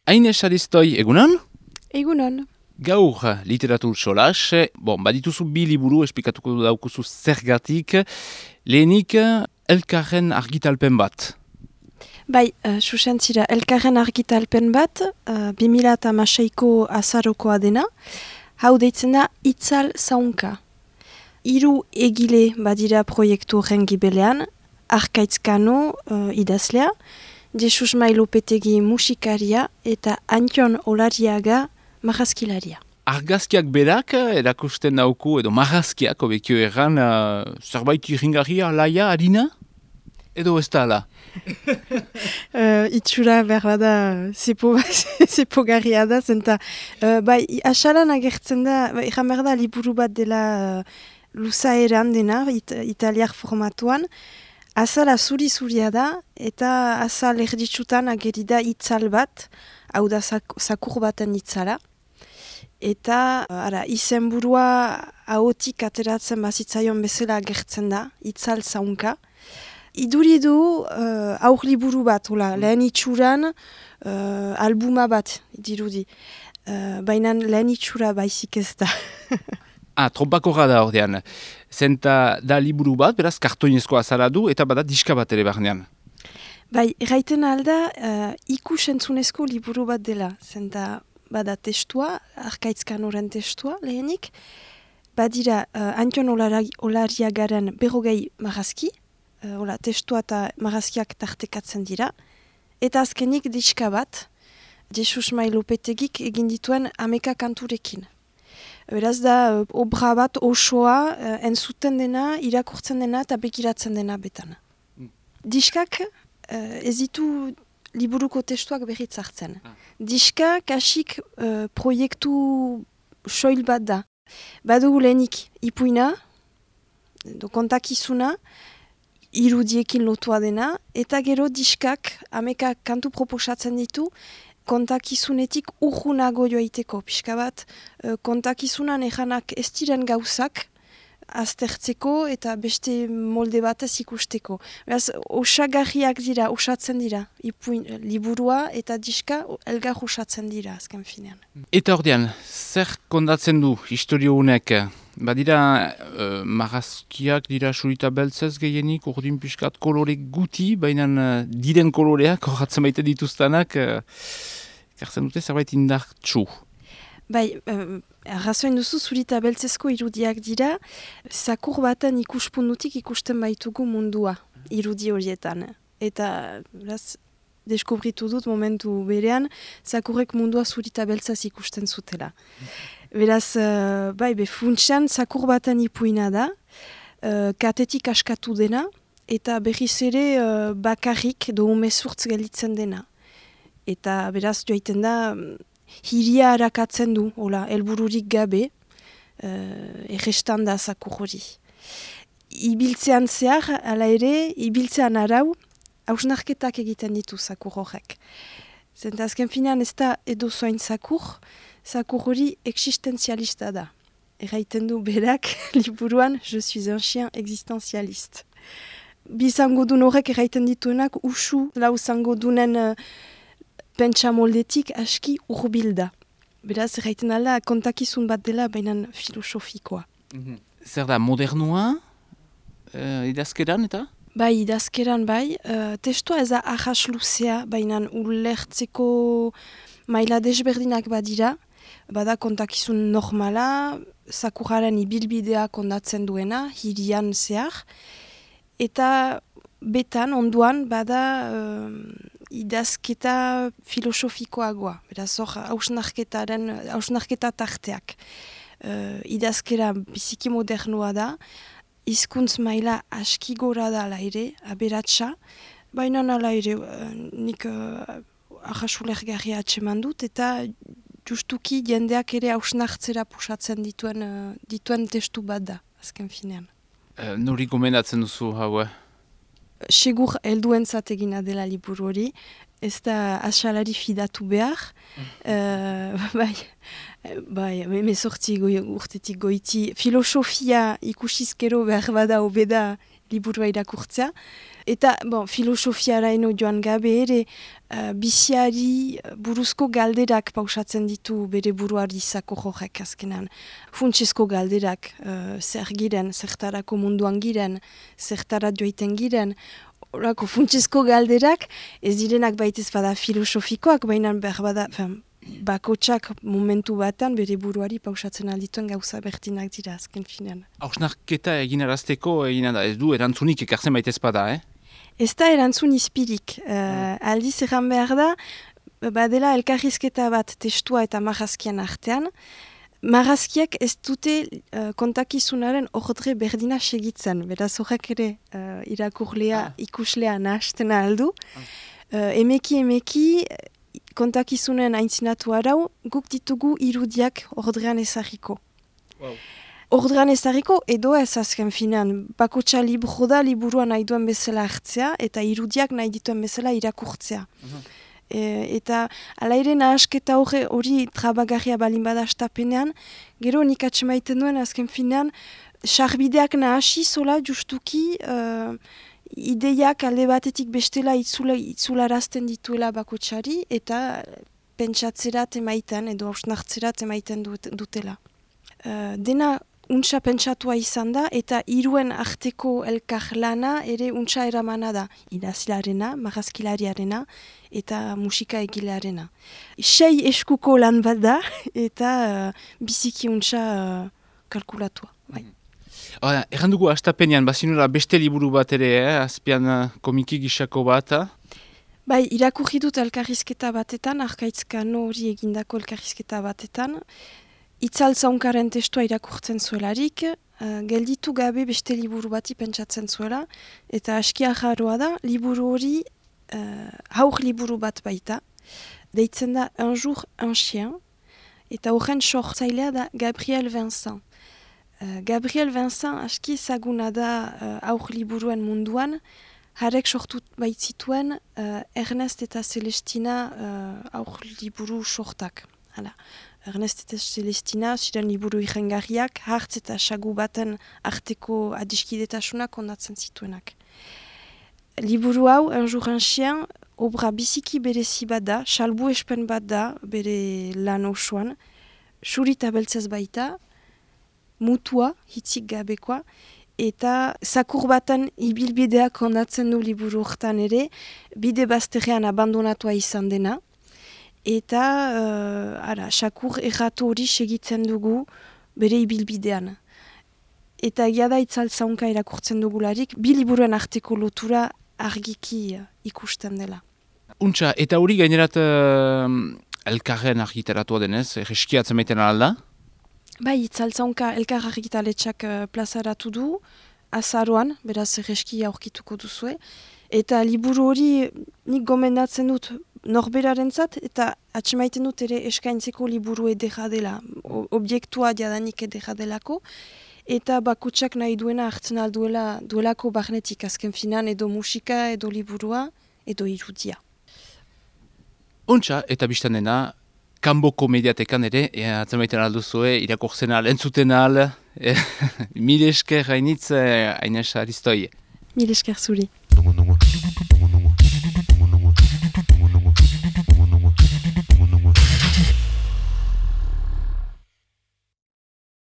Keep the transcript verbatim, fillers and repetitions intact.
Aine Saristoi, egunon? Egunon. Gaur literatur solas, bon, badituzu bi liburu esplikatuko daukuzu zergatik, lehenik elkarren argitalpen bat. Bai, uh, susentzira, elkarren argitalpen bat, uh, bi mila hamaseiko azarokoa dena, hau deitzen da itzal zaunka. Hiru egile badira proiektu horren gibelean, Arkaitz Kano uh, idazlea, Jesus Mailopetegi musikaria eta Antion Olariaga marrazkilaria. Argazkiak berak erakusten dauku, edo marrazkiak, obekio erran, uh, zerbait iringarria, laia, harina? Edo ez da ala? uh, itxura behar da zepo, zepogarria da, zenta, uh, bai, asalan agertzen da, erran behar da liburu bat dela uh, luzaeran dena, it, italiar formatuan, azala zuri-zuria da, eta azal erditsutan ageri da itzal bat, hau da zakur baten itzala. Eta ara, izenburua ahotik ateratzen bazitzaion bezala agertzen da, itzal zaunka. Iduri du uh, aur liburu bat, hola, lehen itxuran uh, albuma bat dirudi. Uh, Baina lehen itxura baizik ez da. Ah, trompakorra da ordean. Zenta da liburu bat, beraz kartoinezko azala du, eta bada diska bat ere barnean. Bai, erraiten alda uh, ikusentzunezko liburu bat dela. Zenta bada testua, Arkaitz Kanoren testua lehenik. Badira uh, Antion Olariagaren berrogei marrazki, uh, hola, testua eta marrazkiak tartekatzen dira. Eta azkenik diska bat, Jesus Mailopetegik egin dituen ameka kanturekin. Beraz da, obra bat osoa uh, entzuten dena, irakurtzen dena eta begiratzen dena betan. Mm. Diskak uh, ez ditu liburuko testuak berriz hartzen. Ah. Diska kasik uh, proiektu soil bat da. Badugu lehenik ipuina, do kontakizuna, irudiekin lotua dena, eta gero diskak ameka kantu proposatzen ditu, kontakizunetik urrunago joaiteko, pixka bat, kontakizunan ejanak ez diren gauzak, aztertzeko eta beste molde batez ikusteko. Beraz, osagarriak dira, osatzen dira, ipuin, liburua eta diska elgar osatzen dira, azken finean. Eta ordean, zer kondatzen du historio honek? Badira, uh, marrazkiak dira surita beltzez gehienik, urdin pixkat kolore guti, baina uh, diren koloreak, horretzen baita dituztanak, uh, kartzen dute zerbait indartsu. Bai, uh, arrazoin duzu zurita beltzezko irudiak dira, zakur baten ikuspundutik ikusten baitugu mundua, irudi horietan. Eta, beraz, deskubritu dut momentu berean, zakurrek mundua zurita beltzaz ikusten zutela. Beraz, uh, bai, be funtsean zakur baten ipuina da, uh, katetik askatu dena, eta berriz ere uh, bakarrik do umezurtz gelitzen dena. Eta beraz, joaiten da, hiria harakatzen du, hola, helbururik gabe, uh, errestan da zakur hori. Ibiltzean zehar, ala ere, ibiltzean arau, hausnarketak egiten ditu zakur horrek. Zenta azken finean ez da edo zoin zakur, zakur hori existenzialista da. Erraiten du berak, liburuan, je suis un chien existenzialiste. Bi zangodun horrek erraiten dituenak, usu, lau zangodunen uh, pentsa moldetik aski urbil da. Beraz, erraiten ala, kontakizun bat dela, baina filosofikoa. Mm-hmm. Zer da, modernua, uh, idazkeran eta? Bai, idazkeran bai. Uh, testua ez da ahas luzea, baina ulertzeko maila desberdinak badira. Bada kontakizun normala, zakuraren ibilbidea kondatzen duena, hirian zehar. Eta betan, onduan, bada uh, idazketa filosofikoagoa. Beraz, hor, hausnarketaren, hausnarketa tarteak. Uh, idazkera biziki modernoa da, hizkuntz maila aski gora da ala ere, aberatsa, baina ala ere, uh, nik uh, ahasulergarria atseman dut, eta justuki jendeak ere hausnartzera pusatzen dituen, uh, dituen testu bat da, azken finean. Uh, Nori gomendatzen duzu hau? Segur helduentzat egina dela liburu hori, ez da asalari fidatu behar, uh, bai, bai, emezortzi goi, urtetik goiti, filosofia ikusizkero behar bada obeda liburua irakurtzea, eta bon, filosofiara eno joan gabe ere, uh, biziari buruzko galderak pausatzen ditu bere buruari izako jorrek azkenan. Funtsezko galderak, uh, zer giren, zertarako munduan giren, zertara joiten giren, horako funtsezko galderak, ez direnak baitez bada filosofikoak, baina behar bada, fen, bakotsak momentu batan bere buruari pausatzen aldituen gauza bertinak dira azken finean. Hausnarketa egin arazteko egin da, ez du erantzunik ekartzen baitez bada, eh? Ez da erantzun izpirik. Uh, aldiz erran behar da, badela elkarrizketa bat testua eta marrazkian artean, marrazkiak ez dute uh, kontakizunaren ordre berdina segitzen, beraz horrek ere uh, irakurlea, ah. ikuslea nahasten aldu. Ah. Uh, emeki emeki kontakizunen aintzinatu arau, guk ditugu irudiak ordrean ezagiko. Wow. Ordrean ezagiko edo ez azken finean, bakotxa libro da liburuan nahi duen bezala hartzea eta irudiak nahi dituen bezala irakurtzea. Uh-huh. E, eta ala ere nahasketa hori, hori trabagarria balin bada astapenean, gero nik atxemaiten duen azken finean, sarbideak nahasi zola justuki uh, ideiak alde batetik bestela itzula, itzularazten dituela bakotxari eta pentsatzerat emaiten edo hausnartzerat emaiten dut, dutela. Uh, dena untsa pentsatua izan da eta hiruen arteko elkar lana ere untsa eramana da. Idazlarena, marrazkilariarena eta musika egilearena. Sei eskuko lan bat da eta uh, biziki untsa uh, kalkulatua. Bai. Oh, erran dugu astapenean, bazinura beste liburu bat ere, eh? Azpian uh, komiki gisako bat. Bai, irakurri dut elkarrizketa batetan, Arkaitzkano hori egindako elkarrizketa batetan. Itzaltzaunkaren testua irakurtzen zuelarik, uh, gelditu gabe beste liburu bati pentsatzen zuela, eta askia jarroa da, liburu hori uh, haur liburu bat baita, deitzen da Un jour un chien, eta horren sortzailea da Gabriel Vincent. Uh, Gabriel Vincent aski ezaguna da uh, haur liburuen munduan, harek sortu baitzituen uh, Ernest eta Celestina uh, haur liburu sortak. Hala. Ernest eta Celestina ziren liburu irengarriak, hartz eta sagu baten arteko adiskidetasunak ondatzen zituenak. Liburu hau, Un jour un chien, obra biziki berezi bat da, salbu espen bat da, bere lan osoan, suri eta beltzez baita, mutua, hitzik gabekoa, eta zakur baten ibilbideak ondatzen du liburu hortan ere, bide bazterrean abandonatua izan dena, eta uh, ara, sakur erratu hori segitzen dugu bere ibilbidean. Eta egia da itzaltzaunka irakurtzen dugularik, bi liburuen arteko lotura argiki uh, ikusten dela. Untxa, eta hori gainerat uh, elkarren argitaratua denez, egeskiatzen maiten alda? Bai, itzaltzaunka elkar argitaletxak uh, plazaratu du, azaroan, beraz egeski aurkituko duzue, eta liburu hori nik gomendatzen dut norberarentzat eta atxemaiten dut ere eskaintzeko liburu edera dela, objektua diadanik edera delako, eta bakutsak nahi duena hartzen alduela duelako barnetik azken finan edo musika, edo liburua, edo irudia. Ontsa, eta biztan dena, Kanboko mediatekan ere, e, atzemaiten alduzue, irakurtzen al, entzuten al, e, mil esker hainitz, hainez aristoi. Mil esker zuri.